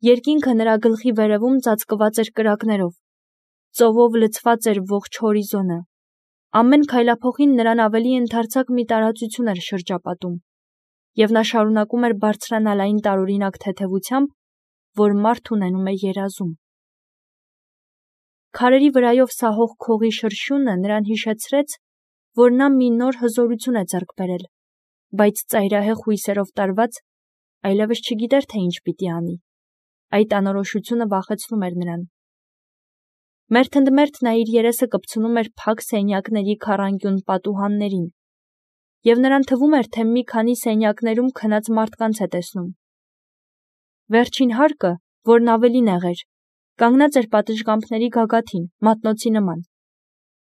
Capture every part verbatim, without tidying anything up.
Երկինքը նրա գլխի վերևում ծածկված էր կրակներով, ծովով լցված էր ողջ հորիզոնը, ամեն քայլափոխին նրան ավելի ընդարձակ մի տարածություն էր շրջապատում, և նա շարունակում էր բարձրանալ այն տարօրինակ թեթևությամբ, որ մարդ ունենում է երազում։ Քարերի վրայով սահող քողի շրշյունը նրան հիշեցրեց, որ նա մի նոր հզորություն է ձեռք բերել, բայց ծայրահեղ հույսերով տարված, այլևս չգիտեր, թե ինչ պիտի անի։ Այդ անորոշությունը վախեցնում էր նրան։ Մերթընդմերթ նա իր երեսը կպցնում էր փակ սենյակների քառանկյուն պատուհաններին, և նրան թվում էր, թե մի քանի սենյակներում քնած մարդկանց է տեսնում։ Վերջին հարկը, որն ավելի նեղ էր, կանգնած էր պատշգամբների գագաթին, մատնոցի նման։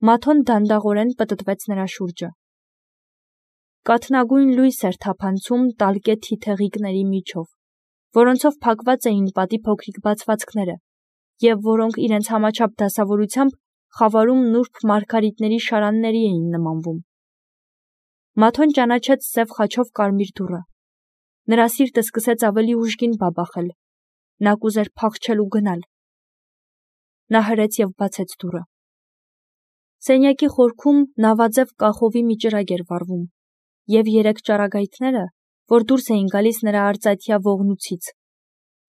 Մաթոն դանդաղորեն պտտվեց նրա շուրջը։ Կաթնագույն լույս էր թափանցում տալկե թիթեղիկների միջով, որոնցով փակված էին պատի փոքրիկ բացվածքները, և որոնք իրենց համաչափ դասավորությամբ խավարում նուրբ մարգարիտների շարանների էին նմանվում։ Մաթոն ճանաչեց սև խաչով կարմիր դուռը։ Նրա սիրտը սկսեց ավելի ուժգին բաբախել։ Նա կուզեր փախչել ու գնալ։ Նա հրեց և բացեց դուռը։ Սենյակի խորքում նավաձև կախովի մի ճրագ էր վառվում, և երեք ճառագայթները, որ դուրս էին գալիս նրա արծաթյա ողնուցից,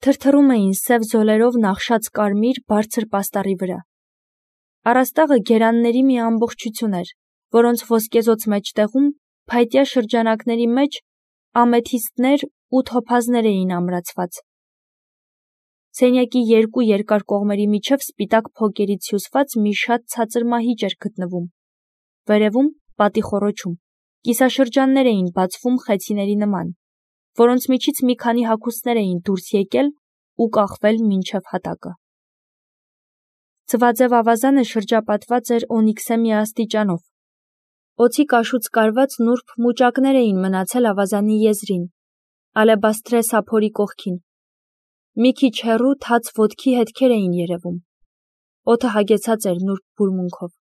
թրթռում էին սև զոլերով նախշած կարմիր բարձր պաստառի վրա։ Առաստաղը գերանների մի ամբողջություն էր, որոնց ոսկեզօծ մեջտեղում, փայտյա շրջանակների մեջ, ամեթիստներ ու թոփազներ էին ամրացված։ Սենյակի երկու երկար կողմերի միջև սպիտակ փոկերից հյուսված մի շատ ցածր մահիճ էր գտնվում։ Վերևում, պատի խոռոչում, կիսաշրջաններ էին բացվում խեցիների նման, որոնց միջից մի քանի հագուստներ էին դուրս եկել ու կախվել մինչև հատակը։ Ձվաձև ավազանը շրջապատված էր օնիքսե մի աստիճանով։ Օձի կաշուց կարված նուրբ մուճակներ էին մնացել ավազանի եզրին, ալեբաստրե սափորի կողքին։ Մի քիչ հեռու թաց ոտքի հետքեր էին երևում։ Օդը հագեցած էր նուրբ բուրմունքով։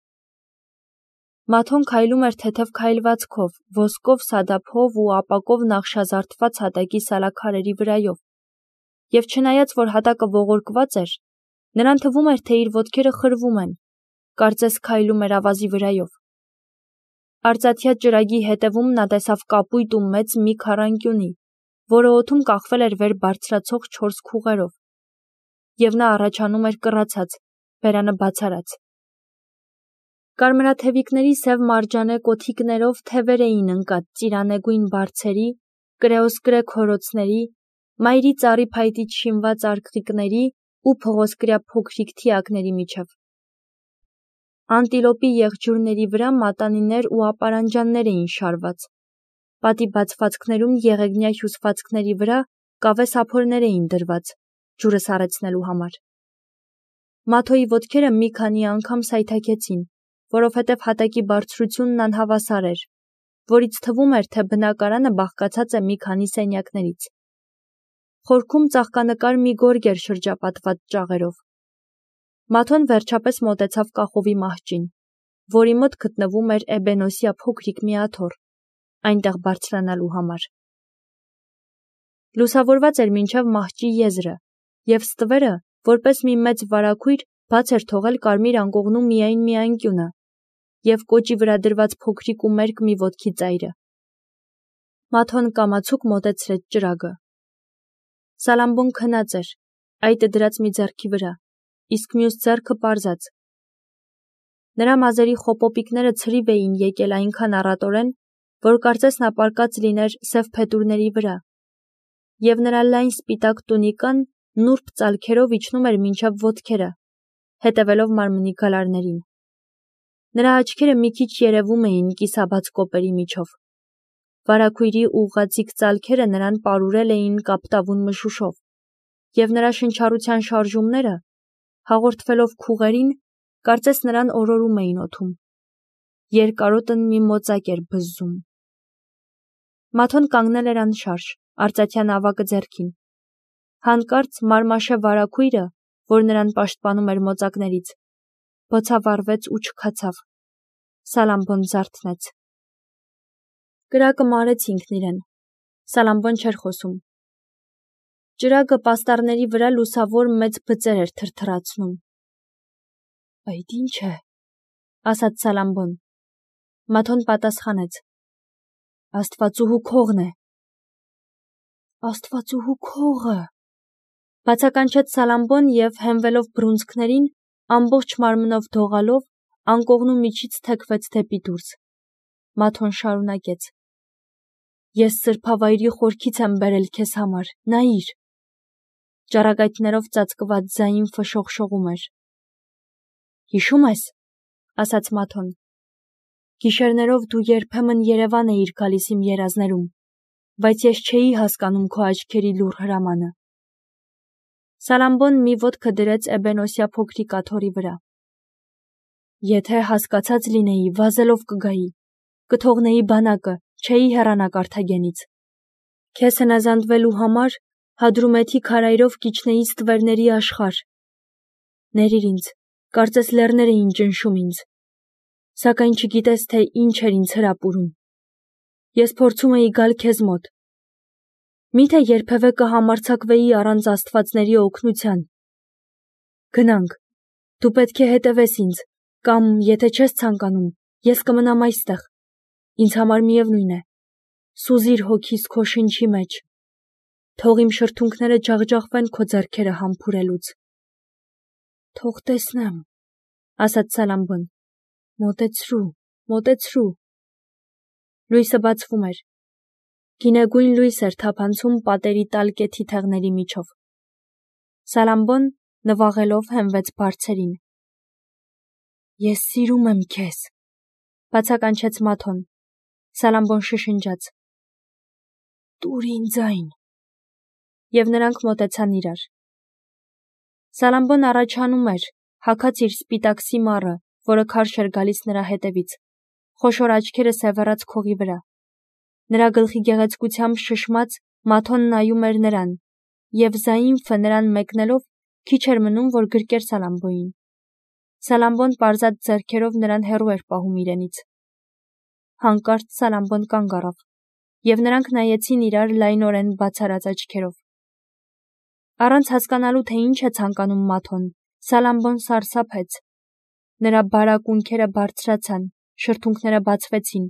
Մաթոն քայլում էր թեթև քայլվածքով, ոսկով, սադափով ու ապակով նախշազարդված հատակի սալաքարերի վրայով, և չնայած, որ հատակը ողորկված էր, նրան թվում էր, թե իր ոտքերը խրվում են, կարծես քայլում էր ավազի վրայով։ Արծաթյա ճրագի հետևում նա տեսավ կապույտ ու մեծ մի քառանկյունի, որը օդում կախվել էր վեր բարձրացող չորս քուղերով, և նա առաջանում էր կռացած, բերանը բացարած։ Կարմրաթևիկների սև մարջանե կոթիկներով թևեր էին ընկած ծիրանեգույն բարձերի, կրեոսկրե քորոցների, մայրի ծառի փայտից շինված արկղիկների ու փղոսկրյա փոքրիկ թիակների միջև։ Անտիլոպի եղջյուրների վրա մատանիներ ու ապարանջաններ էին շարված։ Պատի բացվածքներում եղեգնյա հյուսվածքների վրա կավե սափորներ էին դրված, ջուրը սառեցնելու համար։ Մաթոյի ոտքերը մի քանի անգամ սայթաքեցին, որովհետև հատակի բարձրությունն անհավասար էր, որից թվում էր, թե բնակարանը բաղկացած է մի քանի սենյակներից։ Խորքում ծաղկանկար մի գորգ էր շրջապատված ճաղերով։ Մաթոն վերջապես մոտեցավ կախովի մահճին, որի մոտ գտնվում էր էբենոսյա փոքրիկ մի աթոռ, այնտեղ բարձրանալու համար։ Լուսավորված էր մինչև մահճի եզրը, և ստվերը, որպես մի մեծ վարագույր, բաց էր թողել կարմիր անկողնու միայն մի անկյունը, և կոճի վրա դրված փոքրիկ ու մերկ մի ոտքի ծայրը։ Մաթոն կամացուկ մոտեցրեց ճրագը։ Սալամբոն քնած էր, այտը դրած մի ձեռքի վրա, իսկ մյուս ձեռքը պարզած։ Նրա մազերի խոպոպիկները ցրիվ էին եկել այնքան առատորեն, որ կարծես նա պառկած լիներ սև փետուրների վրա, և նրա լայն սպիտակ տունիկան նուրբ ծալքերով իջնում էր մինչև ոտքերը, հետևելով մարմնի գալարներին։ Նրա աչքերը մի քիչ երևում էին կիսաբաց կոպերի միջով։ Վարագույրի ուղղաձիգ ծալքերը նրան պարուրել էին կապտավուն մշուշով, և նրա շնչառության շարժումները, հաղորդվելով քուղերին, կարծես նրան օրորում էին օդում։ Երկարոտն մի մոծակ էր բզզում։ Մաթոն կանգնել էր անշարժ, արծաթյա նավակը ձեռքին։ Հանկարծ մարմաշե վարագույրը, որ նրան պաշտպանում էր մոծակներից, բոցավառվեց ու չքացավ։ Սալամբոն զարթնեց։ Կրակը մարեց ինքն իրեն։ Սալամբոն չէր խոսում։ Ճրագը պաստառների վրա լուսավոր մեծ բծեր էր թրթռացնում։ Այդ ինչ է, ասաց Սալամբոն։ Մաթոն պատասխանեց. Աստվածուհու քողն է։ Աստվածուհու քողը, բացականչեց Սալամբոն և հենվելով բռունցքներին, ամբողջ մարմնով դողալով, անկողնու միջից թեքվեց դեպի դուրս։ Մաթոն շարունակեց. Ես սրբավայրի խորքից եմ բերել քեզ համար, նայիր։ Ճառագայթներով ծածկված ձայն ֆշոխշողում էր։ Հիշում ես, ասաց Մաթոն, գիշերներով դու երբեմն Երևան էիր գալիս իմ երազներում, բայց ես չէի հասկանում քո աչքերի լուռ հրամանը։ Սալամբոն մի ոտքը դրեց էբենոսյա փոքրիկ աթոռի վրա։ Եթե հասկացած լինեի, վազելով կգայի, կթողնեի բանակը, չէի հեռանա Կարթագենից։ Քեզ հնազանդվելու համար Հադրումեթի քարայրով կիջնեի ստվերների աշխարհ։ Ներիր ինձ, կարծես լեռներ էին ճնշում ինձ, սակայն չգիտես, թե ինչ էր ինձ հրապուրում։ Ես փորձում էի գալ քեզ մոտ։ Միթե երբևէ կհամարձակվեի առանց աստվածների օգնության։ Գնանք, դու պետք է հետևես ինձ, կամ եթե չես ցանկանում, ես կմնամ այստեղ։ Ինձ համար միևնույն է։ Սուզիր հոգիս քո շնչի մեջ։ Թող իմ շրթունքները ջախջախվեն քո ձեռքերը համբուրելուց։ Թող տեսնեմ, ասաց Սալամբոն։ Մոտեցրու, մոտեցրու։ Լույսը բացվում էր։ Գինեգույն լույս էր թափանցում պատերի տալ կեթի թեղների միջով։ Սալամբոն նվաղելով հենվեց բարձերին։ Ես սիրում եմ քեզ, բացականչեց Մաթոն։ Սալամբոն շշնջաց. Տուր ինձ այն։ Եվ նրանք մոտեցան իրար։ Սալամբոն առաջանում էր, հագած իր սպիտակ սիմառը, որը քարշ էր գալիս նրա հետևից, խոշոր աչքերը սևեռած քողի վրա։ Նրա գլխի գեղեցկությամբ շշմած Մաթոն նայում էր նրան, և Զայինֆը նրան մեկնելով քիչ էր մնում, որ գրկեր Սալամբոյին։ Սալամբոն պարզած ձեռքերով նրան հեռու էր պահում իրենից։ Հանկարծ Սալամբոն կանգ առավ, և նրանք նայեցին իրար լայնորեն բացարած աչքերով։ Առանց հասկանալու, թե ինչ է ցանկանում Մաթոն, Սալամբոն սարսափեց։ Նրա բարակ ունքերը բարձրացան, շրթունքները բացվեցին։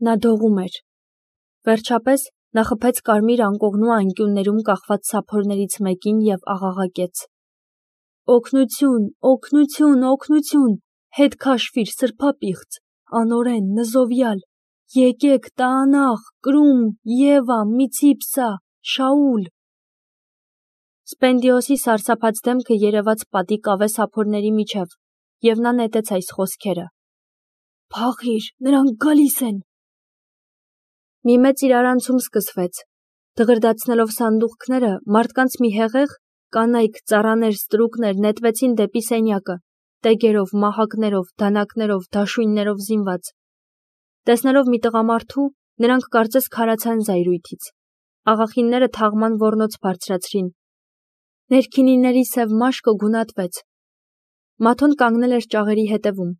Նա դողում էր։ Վերջապես նա խփեց կարմիր անկողնու անկյուններում կախված սափորներից մեկին և աղաղակեց. Օգնություն, օգնություն, օգնություն, հետ քաշվիր, սրբապիղծ, անօրեն, նզովյալ, եկեք, Տաանախ, Կրում, Եվա, Միցիպսա, Շաուլ։ Սպենդիոսի սարսափած դեմքը երևաց պատի կավե սափորների միջև, և նա նետեց այս խոսքերը. Փախիր, նրանք գալիս են։ Մի մեծ իրարանցում սկսվեց։ Դղրդացնելով սանդուղքները, մարդկանց մի հեղեղ, կանայք, ծառաներ, ստրուկներ նետվեցին դեպի սենյակը, տեգերով, մահակներով, դանակներով, դաշույններով զինված։ Տեսնելով մի տղամարդու, նրանք կարծես քարացան զայրույթից։ Աղախինները թաղման ոռնոց բարձրացրին։ Ներքինիների սև մաշկը գունատվեց։ Մաթոն կանգնել էր ճաղերի հետևում։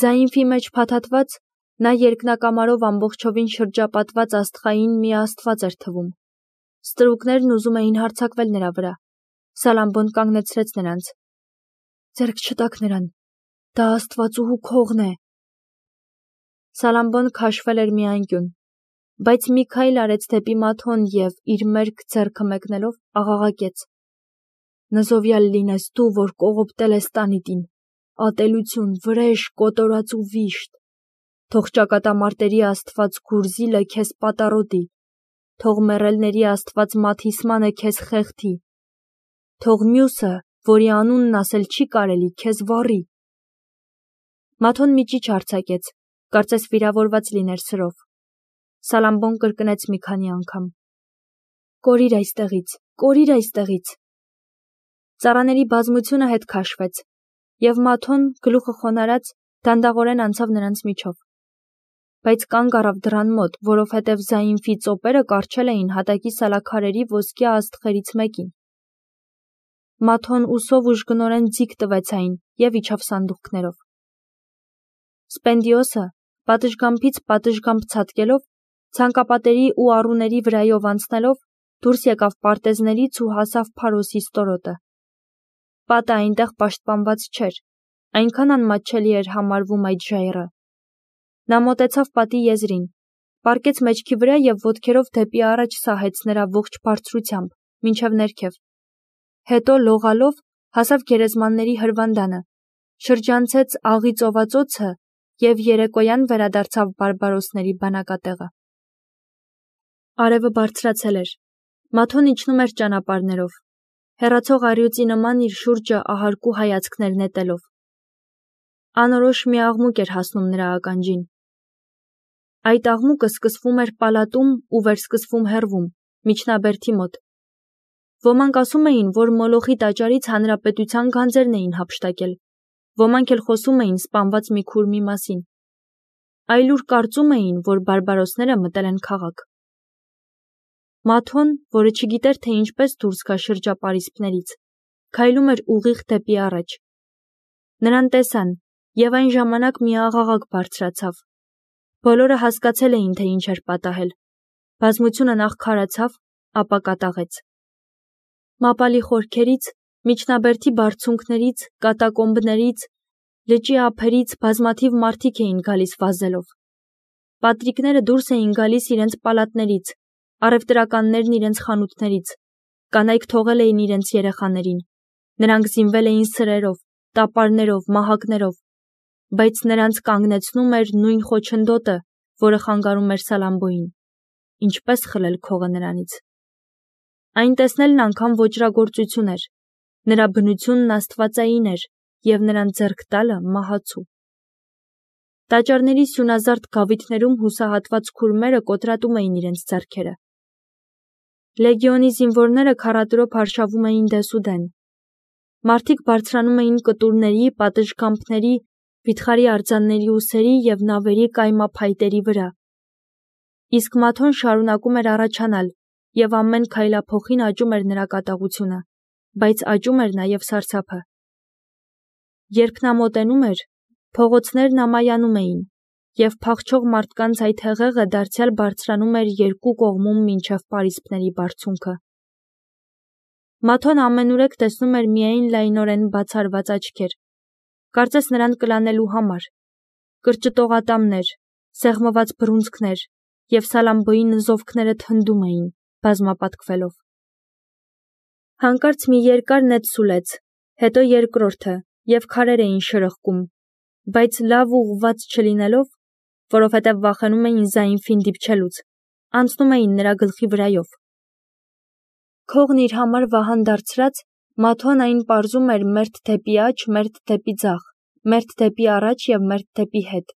Զայինֆի մեջ փաթաթված, նա երկնակամարով ամբողջովին շրջապատված աստղային մի աստված էր թվում։ Ստրուկներն ուզում էին հարձակվել նրա վրա։ Սալամբոն կանգնեցրեց նրանց։ Ձեռք չտաք նրան, դա աստվածուհու քողն է։ Սալամբոն քաշվել էր մի անկյուն, բայց մի քայլ արեց դեպի Մաթոն և, իր մերկ ձեռքը մեկնելով, աղաղակեց. Նզովյալ լինես դու, որ կողոպտել ես տանիտին, ատելություն, վրեժ, կոտորած ու վիշտ։ Թող ճակատամարտերի աստված Գուրզիլը քեզ պատառոտի, թող մեռելների աստված Մաթիսմանը քեզ խեղդի, թող մյուսը, որի անունն ասել չի կարելի, քեզ վառի։ Մաթոն մի ճիչ արձակեց, կարծես վիրավորված լիներ սրով։ Սալամբոն կրկնեց մի քանի անգամ. Կորիր այստեղից, կորիր այստեղից։ Ծառաների բազմությունը հետ քաշվեց, և Մաթոն, գլուխը խոնարհած, դանդաղորեն անցավ նրանց միջով։ Բայց կանգ առավ դռան մոտ, որովհետև Զայինֆի ծոպերը կառչել էին հատակի սալաքարերի ոսկյա աստղերից մեկին։ Մաթոն ուսով ուժգնորեն ձիգ տվեց այն և իջավ սանդուղքներով։ Սպենդիոսը, պատշգամբից պատշգամբ ցատկելով, ցանկապատերի ու առուների վրայով անցնելով, դուրս եկավ պարտեզներից ու հասավ Փարոսի ստորոտը։ Պատը այնտեղ պաշտպանված չէր, այնքան անմատչելի էր համարվում այդ ժայռը։ Նա մոտեցավ պատի եզրին, պառկեց մեջքի վրա և ոտքերով դեպի առաջ սահեց նրա ողջ բարձրությամբ, մինչև ներքև։ Հետո լողալով հասավ գերեզմանների հրվանդանը, շրջանցեց աղի ծովածոցը և երեկոյան վերադարձավ բարբարոսների բանակատեղը։ Արևը բարձրացել էր, Մաթոն իջնում էր ճանապարհներով, հեռացող առյուծի նման իր շուրջը ահարկու հայացքներ նետելով։ Անորոշ մի աղմուկ էր հասնում նրա ականջին։ Այդ աղմուկը սկսվում էր պալատում ու վերսկսվում հեռվում, միջնաբերդի մոտ։ Ոմանք ասում էին, որ Մոլոխի տաճարից հանրապետության գանձերն էին հափշտակել, ոմանք էլ խոսում էին սպանված մի քուրմի մասին։ Այլ ուր կարծում էին, որ բարբարոսները մտել են քաղաք։ Մաթոն, որը չգիտեր, թե ինչպես դուրս գա շրջապարիսպներից, քայլում էր ուղիղ դեպի առաջ։ Նրան տեսան, և այն ժամանակ մի աղաղակ բարձրացավ։ Բոլորը հասկացել էին, թե ինչ էր պատահել։ Բազմությունը նախ քարացավ, ապա կատաղեց։ Մապալի խորքերից, միջնաբերդի բարձունքներից, կատակոմբներից, լճի ափերից բազմաթիվ մարդիկ էին գալիս վազելով։ Պատրիկները դուրս էին գալիս իրենց պալատներից, առևտրականներն իրենց խանութներից, կանայք թողել էին իրենց երեխաներին, նրանք զինվել էին սրերով, տապարներով, մահակներով, բայց նրանց կանգնեցնում էր նույն խոչընդոտը, որը խանգարում էր Սալամբոյին, ինչպես խլել քողը նրանից։ Այն տեսնելն անգամ ոճրագործություն էր, նրա բնությունն աստվածային էր և նրան ձեռք տալը մահացու։ Տաճարների սյունազարդ գավիթներում հուսահատված քուրմերը կոտրատում էին իրենց ձեռքերը։ Լեգիոնի զինվորները քառատրոփ արշավում էին դեսուդեն։ Մարդիկ բարձրանում էին կտուրների, պատշգամբների, վիթխարի արձանների ուսերի և նավերի կայմափայտերի վրա։ Իսկ Մաթոն շարունակում էր առաջանալ, և ամեն քայլափոխին աճում էր նրա կատաղությունը, բայց աճում էր նաև սարսափը։ Երբ նա մոտենում էր, փողոցներն ամայանում էին, և փախչող մարդկանց այդ հեղեղը դարձյալ բարձրանում էր երկու կողմում մինչև պարիսպների բարձունքը։ Մաթոն ամենուրեք տեսնում էր միայն լայնորեն բացառված աչքեր, կարծես նրան կլանելու համար, կրճտողատամներ, սեղմված բռունցքներ, և Սալամբոյի նզովքները թնդում էին, բազմապատկվելով։ Հանկարծ մի երկար նետ սուլեց, հետո երկրորդը, և քարեր էին շրխկում, բայց լավ ուղղված չլինելով, որովհետև վախենում էին Զայինֆին դիպչելուց, անցնում էին նրա գլխի վրայով։ Քողն իր համար վահան դարձրած, Մաթոն այն պարզում էր մերթ դեպի աջ, մերթ դեպի ձախ, մերթ դեպի առաջ և մերթ դեպի հետ։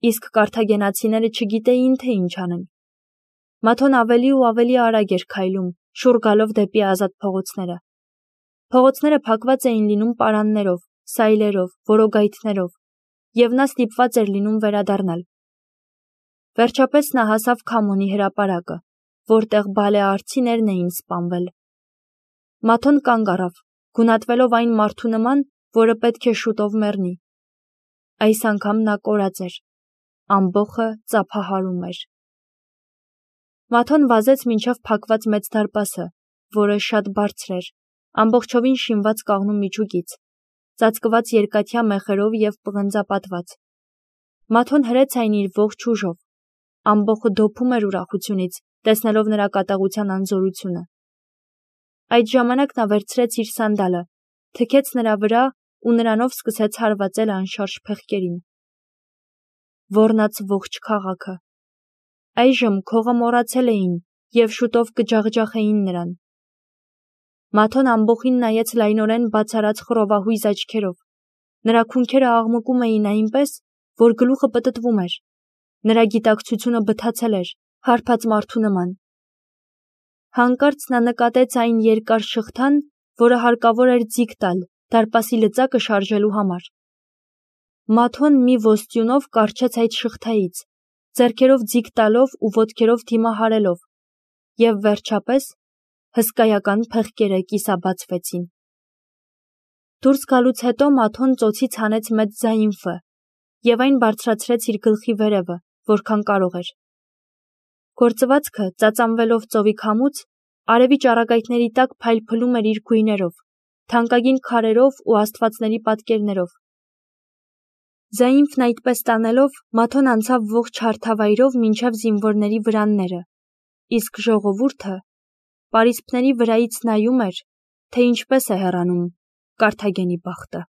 Իսկ կարթագենացիները չգիտեին, թե ինչ անեն։ Մաթոն ավելի ու ավելի արագ էր քայլում, շուռ գալով դեպի ազատ փողոցները։ Փողոցները փակված էին լինում պարաններով, սայլերով, որոգայթներով, և նա ստիպված էր լինում վերադառնալ։ Վերջապես նա հասավ Քամոնի հրապարակը, որտեղ բալեարցիներն էին սպանվել։ Մաթոն կանգ առավ, գունատվելով այն մարդու նման, որը պետք է շուտով մեռնի։ Այս անգամ նա կորած էր, ամբոխը ծափահարում էր։ Մաթոն վազեց մինչև փակված մեծ դարպասը, որը շատ բարձր էր, ամբողջովին շինված կաղնու միջուկից, ծածկված երկաթյա մեխերով և պղնձապատված։ Մաթոն հրեց այն իր ողջ ուժով։ Ամբոխը դոփում էր ուրախությունից, տեսնելով նրա կատաղության անզորությունը։ Այդ ժամանակ նա վերցրեց իր սանդալը, թքեց նրա վրա ու նրանով սկսեց հարվածել անշարժ փեղկերին։ Ոռնաց ողջ քաղաքը։ Այժմ քողը մոռացել էին և շուտով կջախջախեին նրան։ Մաթոն ամբոխին նայեց լայնորեն բաց արած խռովահույզ աչքերով։ Նրա քունքերը աղմկում էին այնպես, որ գլուխը պտտվում էր։ Նրա գիտակցությունը բթացել էր, հարբած մարդու նման։ Հանկարծ նա նկատեց այն երկար շղթան, որը հարկավոր էր ձիգ տալ դարպասի լծակը շարժելու համար։ Մաթոն մի ոստյունով կառչեց այդ շղթայից, ձեռքերով ձիգ տալով ու ոտքերով դիմահարելով, և վերջապես հսկայական փեղկերը կիսաբացվեցին։ Դուրս գալուց հետո Մաթոն ծոցից հանեց մեծ Զայինֆը և այն բարձրացրեց իր գլխի վերևը, որքան կարող էր։ Գործվածքը, ծածանվելով ծովի քամուց, Արևի ճառագայթների տակ փայլփլում էր իր գույներով, թանկագին քարերով ու աստվածների պատկերներով։ Զայինֆն այդպես տանելով, Մաթոն անցավ ողջ հարթավայրով մինչև զինվորների վրանները, իսկ ժողովուրդը պարիսպների վրայից նայում էր, թե ինչպես է հեռանում Կարթագենի բախտը։